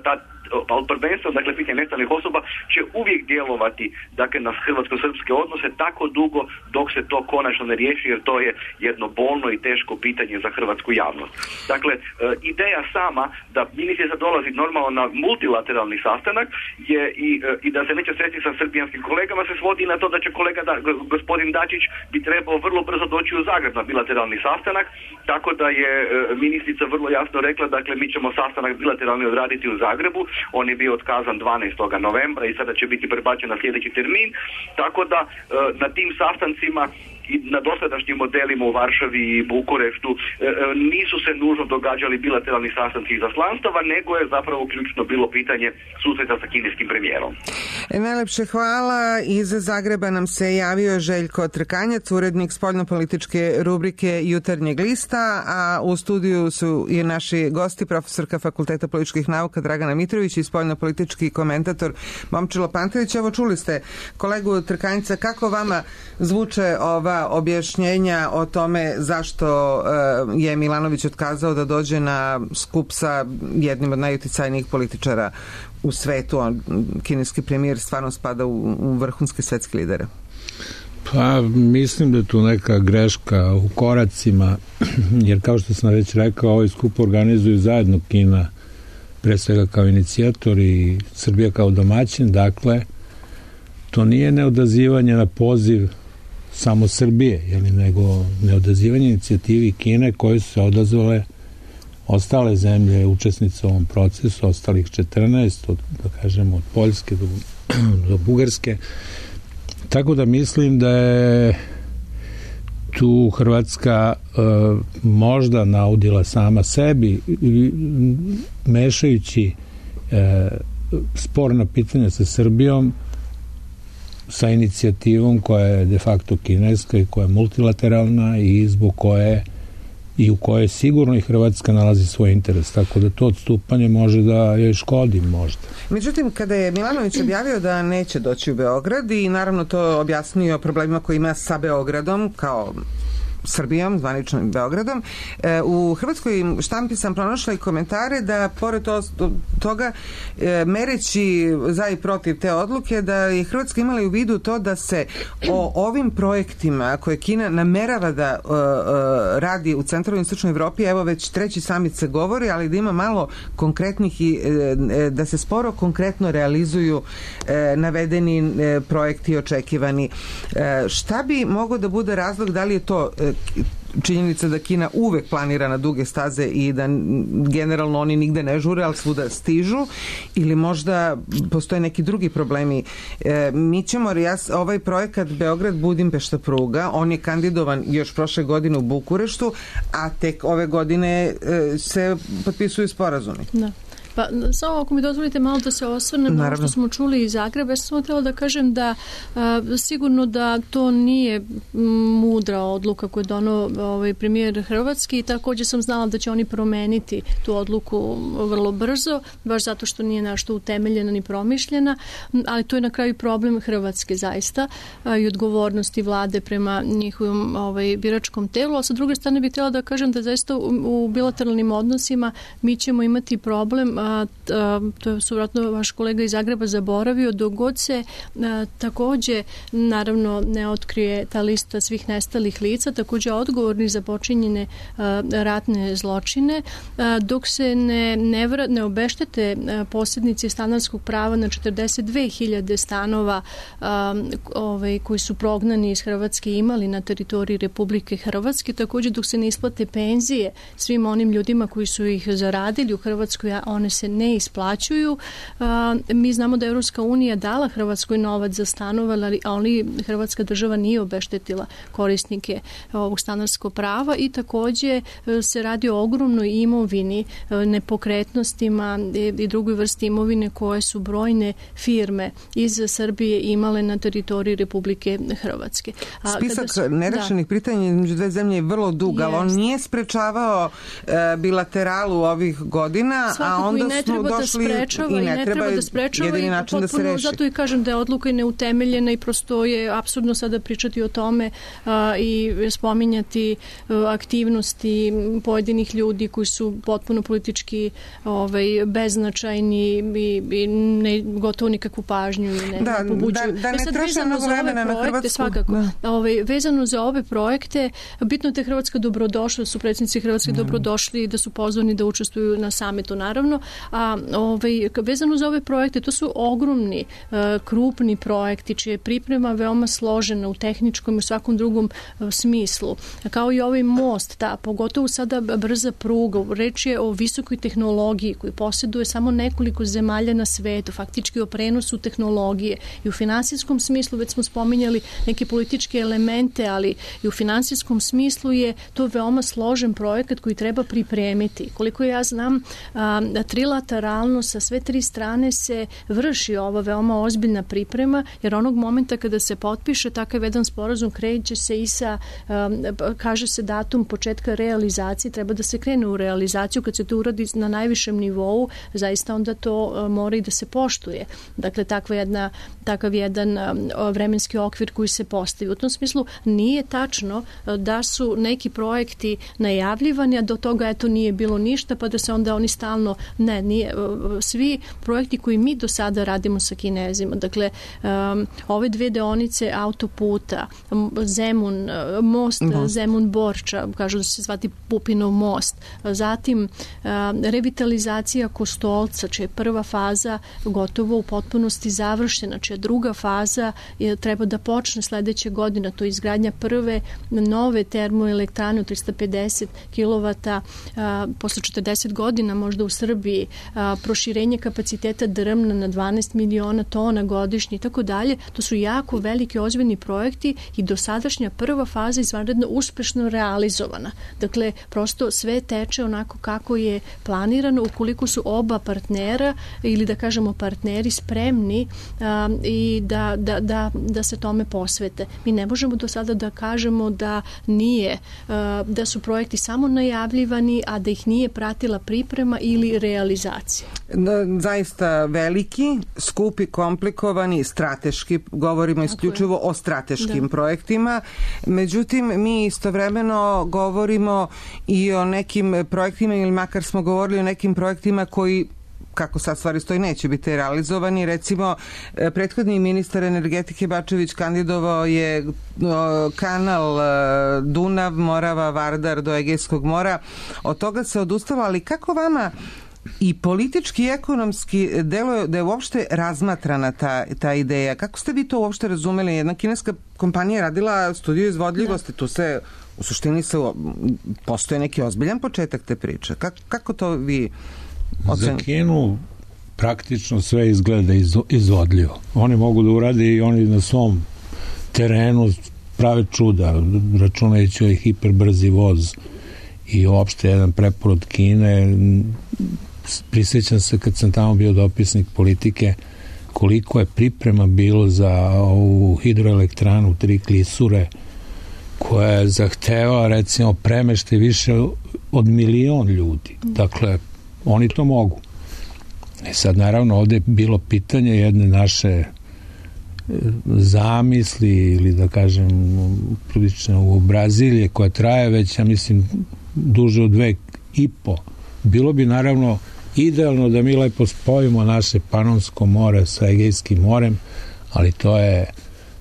ali prvenstveno, dakle, pitanje nestalih osoba će uvijek djelovati, dakle, na hrvatsko-srpske odnose tako dugo dok se to konačno ne riješi, jer to je jedno bolno i teško pitanje za hrvatsku javnost. Dakle, ideja sama da ministrica dolazi normalno na multilateralni sastanak je i da se neće sresti sa srbijanskim kolegama se svodi na to da će gospodin Dačić bi trebao vrlo brzo doći u Zagreb na bilateralni sastanak, tako da je ministrica vrlo jasno rekla, dakle, mi ćemo sastanak bilateralni odraditi u Zagrebu, on je bio otkazan 12. novembra i sada će biti prebačen na sljedeći termin, tako da na tim sastancima i na dosadašnjim modelima u Varšavi i Bukureštu nisu se nužno događali bilateralni sastanci izaslanstava, nego je zapravo ključno bilo pitanje susreta sa kineskim premijerom. Najlepše hvala. Iz Zagreba nam se javio Željko Trkanjac, urednik spoljnopolitičke rubrike Jutarnjeg lista, a u studiju su i naši gosti, profesorka Fakulteta političkih nauka Dragana Mitrović i spoljnopolitički komentator Momčilo Pantović. Evo, čuli ste kolegu Trkanjca, kako vama zvuče ova objašnjenja o tome zašto je Milanović otkazao da dođe na skup sa jednim od najuticajnijih političara u svetu? Kineski premijer stvarno spada u vrhunske svetske lidere. Pa mislim da je tu neka greška u koracima, jer kao što sam već rekao, ovaj skup organizuju zajedno Kina, pre svega kao inicijator, i Srbija kao domaćin. Dakle, to nije neodazivanje na poziv samo Srbije, nego neodazivanje inicijativi Kine koje su se odazvale ostale zemlje učesnice u ovom procesu, ostalih 14, od Poljske do Bugarske. Tako da mislim da je tu Hrvatska možda naudila sama sebi, mešajući sporna pitanja sa Srbijom sa inicijativom koja je de facto kineska i koja je multilateralna i zbog koje i u kojoj sigurno i Hrvatska nalazi svoj interes, tako da to odstupanje može da joj škodi možda. Međutim, kada je Milanović objavio da neće doći u Beograd i naravno to objasnio problemima koje ima sa Beogradom kao Srbijom, zvaničnim Beogradom, u hrvatskoj štampi sam pronašla i komentare da pored toga, mereći za i protiv te odluke, da je Hrvatska imala u vidu to da se o ovim projektima koje Kina namerava da radi u centralnoj i istočnoj Evropi, evo već treći samit se govori, ali da ima malo konkretnih i da se sporo konkretno realizuju navedeni projekti očekivani. Šta bi mogao da bude razlog, da li je to činjenica da Kina uvek planira na duge staze i da generalno oni nigde ne žure, ali svuda stižu, ili možda postoje neki drugi problemi? Mi ćemo, ovaj projekat Beograd-Budimpešta pruga, on je kandidovan još prošle godine u Bukureštu, a tek ove godine se potpisuju sporazumi. Da. Pa samo ako mi dozvolite malo da se osvrnem na što smo čuli iz Zagreba, ja sam htjela da kažem da sigurno da to nije mudra odluka koju je donao premijer Hrvatski i također sam znala da će oni promeniti tu odluku vrlo brzo, baš zato što nije nešto utemeljena ni promišljena, ali to je na kraju problem Hrvatske zaista i odgovornosti vlade prema njihovom biračkom telu, a sa druge strane bih htjela da kažem da zaista u bilateralnim odnosima mi ćemo imati problem, to su vratno vaš kolega iz Zagreba zaboravio, dok god se također naravno ne otkrije ta lista svih nestalih lica, također odgovorni za počinjene ratne zločine, dok se ne obeštete posjednici stanarskog prava na 42.000 stanova koji su prognani iz Hrvatske imali na teritoriji Republike Hrvatske, također dok se ne isplate penzije svim onim ljudima koji su ih zaradili u Hrvatskoj, a one se ne isplaćuju. Mi znamo da Europska unija dala Hrvatskoj novac za stanove, ali Hrvatska država nije obeštetila korisnike ovog stanarskog prava i također se radi o ogromnoj imovini, nepokretnostima i drugoj vrsti imovine koje su brojne firme iz Srbije imale na teritoriji Republike Hrvatske. Spisak nerešenih pitanja između dve zemlje je vrlo dug, ali on nije sprečavao bilateralu ovih godina, a onda da ne smo treba došli da sprečava, i ne treba jedini način da se reši. Zato i kažem da je odluka i neutemeljena i prosto je apsurdno sada pričati o tome i spominjati aktivnosti pojedinih ljudi koji su potpuno politički beznačajni i ne gotovo nikakvu pažnju i ne pobuđuju. Da ne troše mnogo vremena na Hrvatsku. Svakako. Vezano za ove projekte, bitno da je Hrvatska dobrodošla, su predsjednici Hrvatske dobrodošli, da su pozvani da učestvuju na samitu, naravno. A vezano za ove projekte, to su ogromni, krupni projekti, čija je priprema veoma složena u tehničkom i u svakom drugom smislu. Kao i ovaj most, pogotovo sada brza pruga, reč je o visokoj tehnologiji koju posjeduje samo nekoliko zemalja na svetu, faktički o prenosu tehnologije i u finansijskom smislu, već smo spominjali neke političke elemente, ali i u finansijskom smislu je to veoma složen projekat koji treba pripremiti. Koliko ja znam, trilateralno sa sve tri strane se vrši ova veoma ozbiljna priprema, jer onog momenta kada se potpiše takav jedan sporazum, kreće se i sa, kaže se datum početka realizacije, treba da se krene u realizaciju, kad se to uradi na najvišem nivou, zaista onda to mora i da se poštuje. Dakle, takav jedan vremenski okvir koji se postavi. U tom smislu nije tačno da su neki projekti najavljivani, a do toga eto nije bilo ništa, pa da se onda oni stalno, nije. Svi projekti koji mi do sada radimo sa Kinezima, dakle, ove dve deonice autoputa, Zemun, most Zemun-Borča, kažu da će se zvati Pupinov most, zatim revitalizacija Kostolca, čija je prva faza gotovo u potpunosti završena, čija druga faza treba da počne sledeće godine, to je izgradnja prve nove termoelektrane od 350 kW posle 40 godina možda u Srbiji, proširenje kapaciteta drmna na 12 miliona tona godišnje i tako dalje. To su jako veliki ozbiljni projekti i dosadašnja prva faza izvanredno uspešno realizovana. Dakle, prosto sve teče onako kako je planirano, ukoliko su oba partnera ili da kažemo partneri spremni i da se tome posvete. Mi ne možemo do sada da kažemo da nije, da su projekti samo najavljivani, a da ih nije pratila priprema ili realizacija. Zaista veliki, skupi, komplikovani, strateški, govorimo isključivo o strateškim projektima. Međutim, mi istovremeno govorimo i o nekim projektima, ili makar smo govorili o nekim projektima koji, kako sad stvari stoji, neće biti realizovani. Recimo, prethodni ministar energetike Bačević kandidovao je kanal Dunav, Morava, Vardar do Egejskog mora. Od toga se odustalo, ali kako vama i politički i ekonomski deluje da je uopšte razmatrana ta ideja? Kako ste vi to uopšte razumeli? Jedna kineska kompanija je radila studiju izvodljivosti, tu se u suštini postoje neki ozbiljan početak te priče. Kako to vi Za Kinu praktično sve izgleda izvodljivo. Oni mogu da urade i oni na svom terenu prave čuda, računajući ovaj hiperbrzi voz i uopšte jedan preporod Kine. Prisjećam se kad sam tamo bio dopisnik politike koliko je priprema bilo za ovu hidroelektranu 3 klisure koja je zahteva recimo premeštaj više od 1.000.000 ljudi. Dakle, oni to mogu. Sad naravno ovde je bilo pitanje jedne naše zamisli ili da kažem prilično u Brazilije koja traje već, ja mislim, duže od 2,5. Bilo bi naravno idealno da mi lepo spojimo naše Panonsko more sa Egejskim morem, ali to je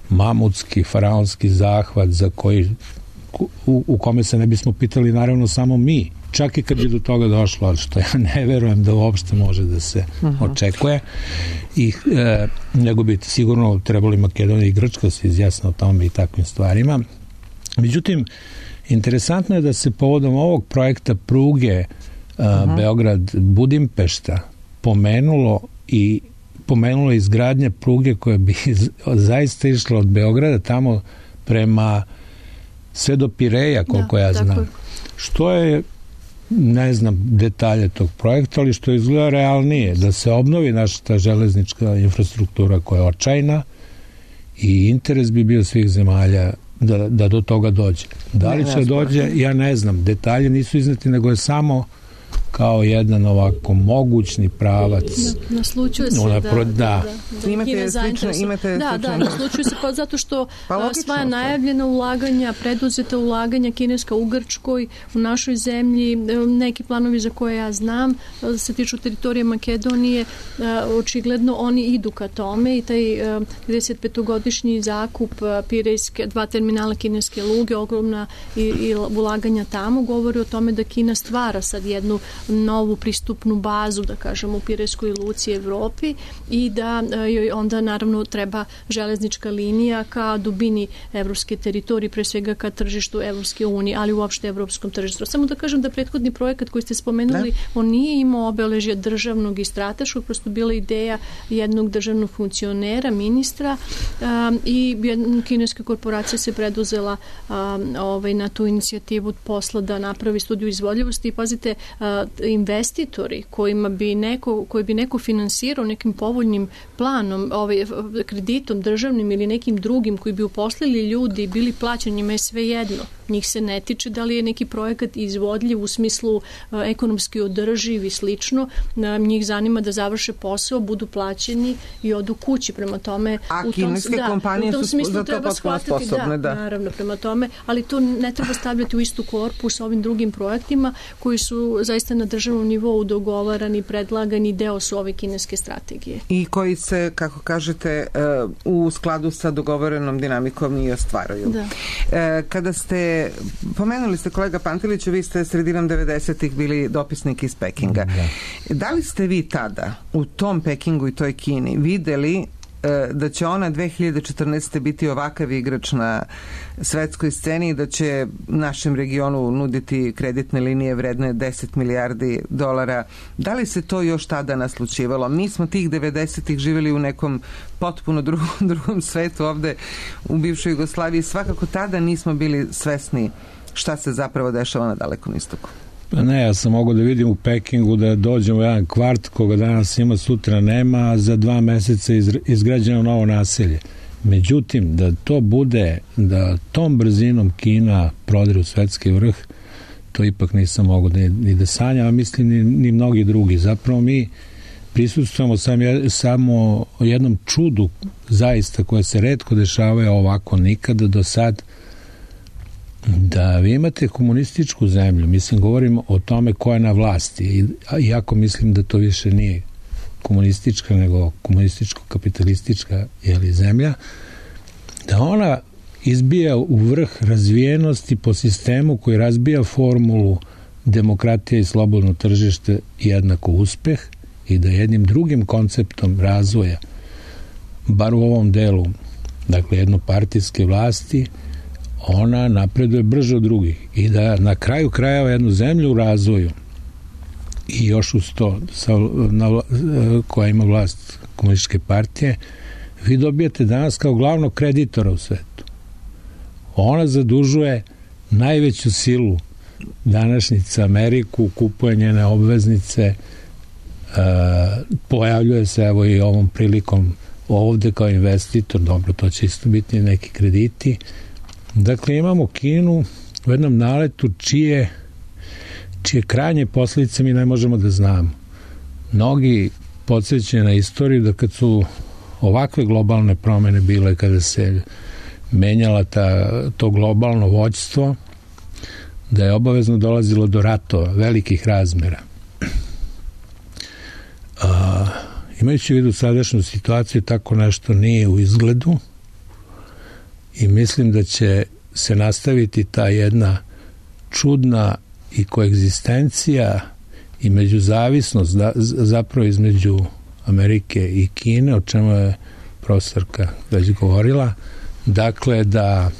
mamutski, faraonski zahvat za koji u kome se ne bismo pitali naravno samo mi. Čak i kad bi do toga došlo, ali što ja ne verujem da uopšte može da se očekuje. Nego bi sigurno trebali Makedonija i Grčka se izjasne o tome i takvim stvarima. Međutim, interesantno je da se povodom ovog projekta pruge Beograd-Budimpešta pomenulo izgradnja pruge koja bi zaista išla od Beograda tamo prema sve do Pireja, koliko ja znam. Što je, ne znam detalje tog projekta, ali što izgleda realnije, da se obnovi naša ta železnička infrastruktura koja je očajna i interes bi bio svih zemalja da do toga dođe. Da li će dođe, ja ne znam. Detalje nisu izneti, nego je samo kao jedan ovako mogućni pravac. Naslučuje se, naslučuje se zato što sva najavljena ulaganja, preduzeta ulaganja kineska u Grčkoj, u našoj zemlji, neki planovi za koje ja znam, se tiču teritorije Makedonije, očigledno oni idu ka tome i taj 35-godišnji zakup Pirejske, 2 terminala kineske luge, ogromna i ulaganja tamo, govori o tome da Kina stvara sad jednu novu pristupnu bazu, da kažemo, u Pirejskoj luci Evropi i da joj onda naravno treba železnička linija ka dubini evropske teritorije, pre svega ka tržištu Evropske unije, ali uopšte evropskom tržištu. Samo da kažem da prethodni projekat koji ste spomenuli, on nije imao obeležje državnog i strateškog, prosto bila ideja jednog državnog funkcionera, ministra i kineska korporacija se preduzela na tu inicijativu posla da napravi studiju izvodljivosti i pazite, investitori koji bi neko finansirao nekim povoljnim planom, kreditom državnim ili nekim drugim koji bi uposlili ljudi i bili plaćeni, njima je sve jedno. Njih se ne tiče da li je neki projekat izvodljiv u smislu ekonomski održiv i slično. Njih zanima da završe posao, budu plaćeni i odu kući. Prema tome, a kineske kompanije su za to potpuno sposobne. Da, naravno, prema tome, ali to ne treba stavljati u istu korpu sa ovim drugim projektima koji su zaista na državnom nivou dogovarani, predlagani, deo su ove kineske strategije. I koji se, kako kažete, u skladu sa dogovorenom dinamikom i ostvaruju. Da. Kada ste pomenuli ste, kolega Panteliću, vi ste sredinom 90-ih bili dopisnik iz Pekinga. Da li ste vi tada u tom Pekingu i toj Kini videli da će ona 2014. biti ovakav igrač na svetskoj sceni i da će našem regionu nuditi kreditne linije vredne 10 milijardi dolara? Da li se to još tada naslučivalo? Mi smo tih 90-ih živjeli u nekom potpuno drugom svetu ovde u bivšoj Jugoslaviji. Svakako tada nismo bili svesni šta se zapravo dešava na Dalekom istoku. Ne, ja sam mogao da vidim u Pekingu da dođem u jedan kvart koga danas ima, sutra nema, a za 2 meseca izgrađeno novo naselje. Međutim, da to bude, da tom brzinom Kina prodire u svetski vrh, to ipak nisam mogao ni da sanjam, a mislim ni mnogi drugi. Zapravo mi prisustvujemo samo jednom čudu zaista koje se retko dešavaju ovako nikada do sad, da vi imate komunističku zemlju, mislim, govorimo o tome ko je na vlasti, iako mislim da to više nije komunistička, nego komunističko-kapitalistička zemlja, da ona izbija u vrh razvijenosti po sistemu koji razbija formulu demokratija i slobodno tržište jednako uspeh i da jednim drugim konceptom razvoja, bar u ovom delu, dakle jednopartijske vlasti, ona napreduje brže od drugih i da na kraju krajeva jednu zemlju u razvoju i još uz to koja ima vlast komunističke partije, vi dobijete danas kao glavnog kreditora u svetu. Ona zadužuje najveću silu današnjica Ameriku, kupuje njene obveznice, pojavljuje se evo i ovom prilikom ovde kao investitor, dobro, to će isto biti neki krediti. Dakle, imamo Kinu u jednom naletu čije krajnje posljedice mi ne možemo da znamo. Mnogi podsjećaju na istoriju da kad su ovakve globalne promene bile, kada se menjala to globalno vođstvo, da je obavezno dolazilo do ratova, velikih razmera. Imajući u vidu sadašnju situaciju, tako nešto nije u izgledu i mislim da će se nastaviti ta jedna čudna i koegzistencija i međuzavisnost zapravo između Amerike i Kine, o čemu je profesorka već govorila, dakle da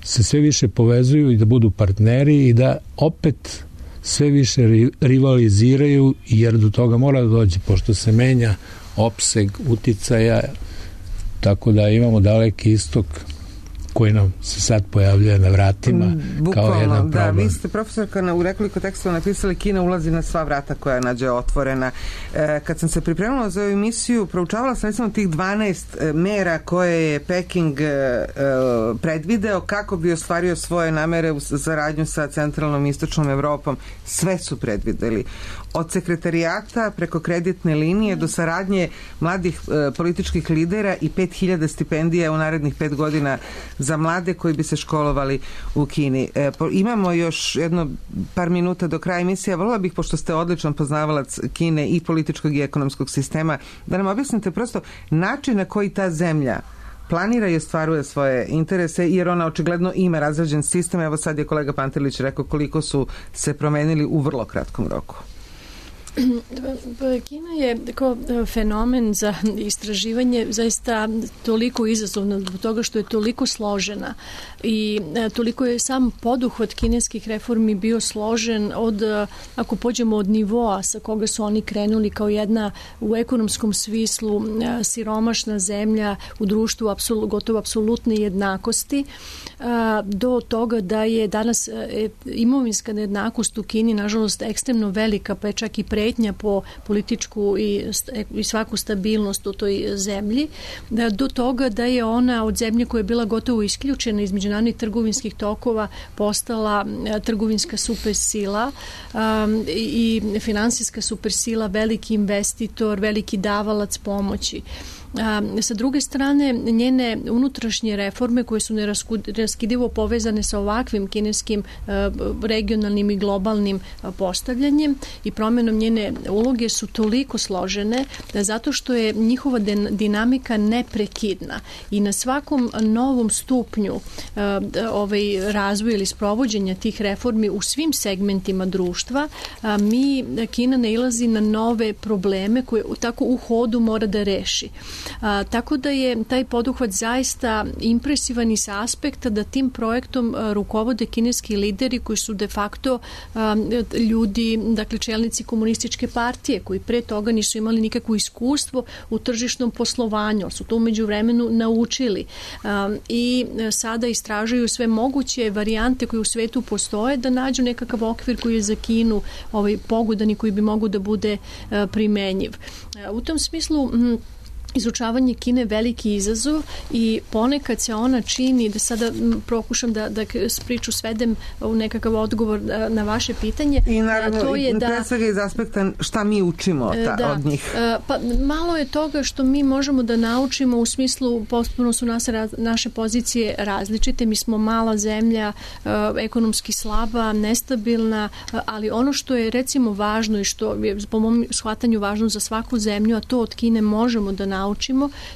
se sve više povezuju i da budu partneri i da opet sve više rivaliziraju, jer do toga mora da dođe, pošto se menja opseg uticaja, tako da imamo Daleki istok koji nam se sad pojavljuje na vratima bukvalno, kao jedan problem. Da, vi ste profesorka u nekoliko tekstova napisali Kina ulazi na sva vrata koja nađe otvorena. Kad sam se pripremila za ovu emisiju, proučavala sam recimo tih 12 mera koje je Peking predvideo kako bi ostvario svoje namere u saradnju sa centralnom i istočnom Evropom. Sve su predvideli. Od sekretarijata preko kreditne linije do saradnje mladih političkih lidera i 5000 stipendija u narednih 5 godina za mlade koji bi se školovali u Kini. Imamo još jedno par minuta do kraja emisije. Volila bih, pošto ste odličan poznavalac Kine i političkog i ekonomskog sistema, da nam objasnite prosto način na koji ta zemlja planira i ostvaruje svoje interese, jer ona očigledno ima razrađen sistem. Evo sad je kolega Pantelić rekao koliko su se promenili u vrlo kratkom roku. Kina je kao fenomen za istraživanje zaista toliko izazovna zbog toga što je toliko složena i toliko je sam poduhvat kineskih reformi bio složen od, ako pođemo od nivoa sa koga su oni krenuli kao jedna u ekonomskom smislu siromašna zemlja u društvu gotovo apsolutne jednakosti, do toga da je danas imovinska nejednakost u Kini nažalost ekstremno velika, pa je čak i pretnja po političku i svaku stabilnost u toj zemlji, do toga da je ona od zemlje koja je bila gotovo isključena iz međunarodnih trgovinskih tokova postala trgovinska supersila i finansijska supersila, veliki investitor, veliki davalac pomoći. Sa druge strane, njene unutrašnje reforme koje su neraskidivo povezane sa ovakvim kineskim regionalnim i globalnim postavljanjem i promjenom njene uloge su toliko složene da zato što je njihova dinamika neprekidna i na svakom novom stupnju razvoja ili sprovođenja tih reformi u svim segmentima društva Kina nailazi na nove probleme koje tako u hodu mora da reši. Tako da je taj poduhvat zaista impresivan i sa aspekta da tim projektom rukovode kineski lideri koji su de facto ljudi, dakle čelnici komunističke partije koji pre toga nisu imali nikakvo iskustvo u tržišnom poslovanju, su to umeđu vremenu naučili i sada istražuju sve moguće varijante koje u svetu postoje da nađu nekakav okvir koji je za Kinu pogodan i koji bi mogu da bude primenjiv. U tom smislu izučavanje Kine je veliki izazov i ponekad se ona čini, da sada pokušam da priču svedem u nekakav odgovor na vaše pitanje. I naravno, to je pre svega iz aspekta šta mi učimo od njih. Pa malo je toga što mi možemo da naučimo u smislu, potpuno su naše pozicije različite. Mi smo mala zemlja, ekonomski slaba, nestabilna, ali ono što je recimo važno i što je po mom shvatanju važno za svaku zemlju, a to od Kine možemo da naučimo,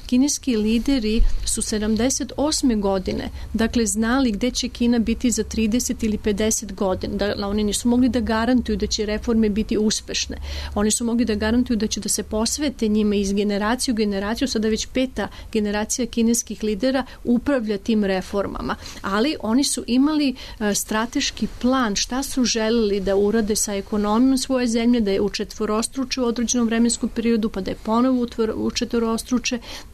kineski lideri su 78. godine, dakle znali gde će Kina biti za 30 ili 50 godina. Da, oni nisu mogli da garantuju da će reforme biti uspešne. Oni su mogli da garantuju da će da se posvete njima iz generaciju u generaciju, sada već 5. generacija kineskih lidera upravlja tim reformama. Ali oni su imali strateški plan šta su želeli da urade sa ekonomijom svoje zemlje, da je učetvorostruče u određenom vremenskom periodu, pa da je ponovo učetvorostruče.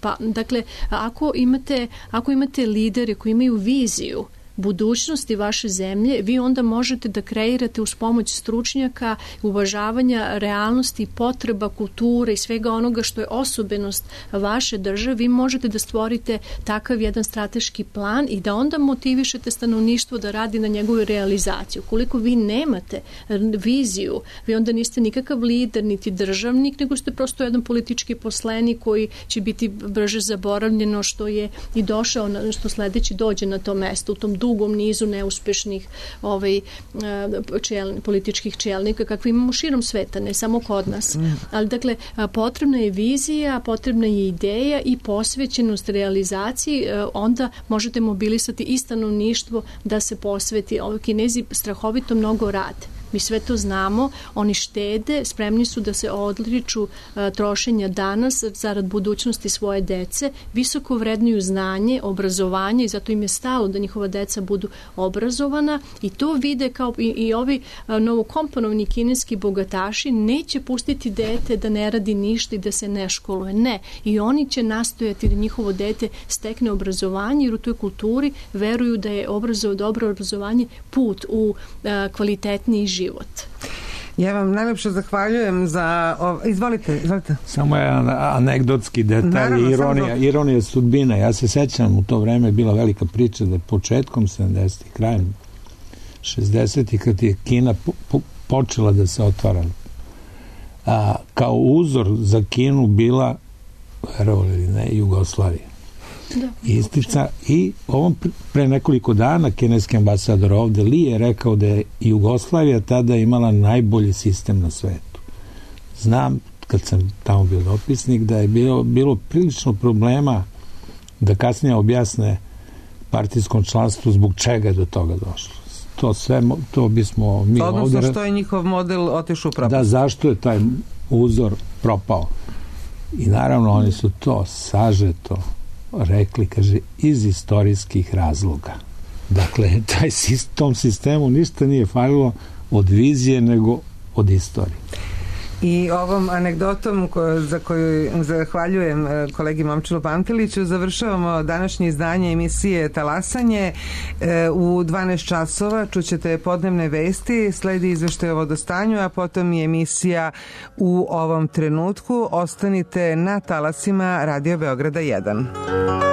Pa, dakle, ako imate lidere koji imaju viziju budućnosti vaše zemlje, vi onda možete da kreirate uz pomoć stručnjaka, uvažavanja realnosti, potreba, kulture i svega onoga što je osobenost vaše države, vi možete da stvorite takav jedan strateški plan i da onda motivišete stanovništvo da radi na njegovu realizaciju. Koliko vi nemate viziju, vi onda niste nikakav lider, niti državnik, nego ste prosto jedan politički poslenik koji će biti brže zaboravljeno što je i došao, što sledeći dođe na to mesto, u tom dugom nizu neuspešnih političkih čelnika kakve imamo širom sveta, ne samo kod nas. Ali dakle, potrebna je vizija, potrebna je ideja i posvećenost realizaciji, onda možete mobilisati i stanovništvo da se posveti. Kinezi strahovito mnogo rade. Mi sve to znamo, oni štede, spremni su da se odriču trošenja danas zarad budućnosti svoje dece, visoko vrednuju znanje, obrazovanje i zato im je stalo da njihova deca budu obrazovana i to vide kao i ovi novokomponovani kineski bogataši neće pustiti dete da ne radi ništa i da se ne školuje. Ne. I oni će nastojati da njihovo dete stekne obrazovanje jer u toj kulturi veruju da je dobro obrazovanje put u kvalitetniji život. Ja vam najlepše zahvaljujem za... Izvolite. Samo je anegdotski detalj, ironija sudbine. Ja se sećam, u to vreme je bila velika priča da je početkom 70-ih, krajem 60-ih, kad je Kina počela da se otvara. Kao uzor za Kinu bila, verovali ili ne, Jugoslavija. I ovom pre nekoliko dana kineski ambasador ovde Li je rekao da je Jugoslavija tada imala najbolji sistem na svetu. Znam, kad sam tamo bio dopisnik, da je bilo prilično problema da kasnije objasne partijskom članstvu zbog čega je do toga došlo. To bismo mi ovde... Odnosno što je njihov model otišao u propast. Da, zašto je taj uzor propao. I naravno oni su to sažeto rekli, kaže, iz istorijskih razloga. Dakle, tom sistemu ništa nije falilo od vizije, nego od istorije. I ovom anegdotom za koju zahvaljujem kolegi Momčilu Panteliću završavamo današnje izdanje emisije Talasanje. U 12 časova čućete podnevne vesti, sledi izveštaj o vodostanju, a potom i emisija U ovom trenutku. Ostanite na talasima Radio Beograda 1.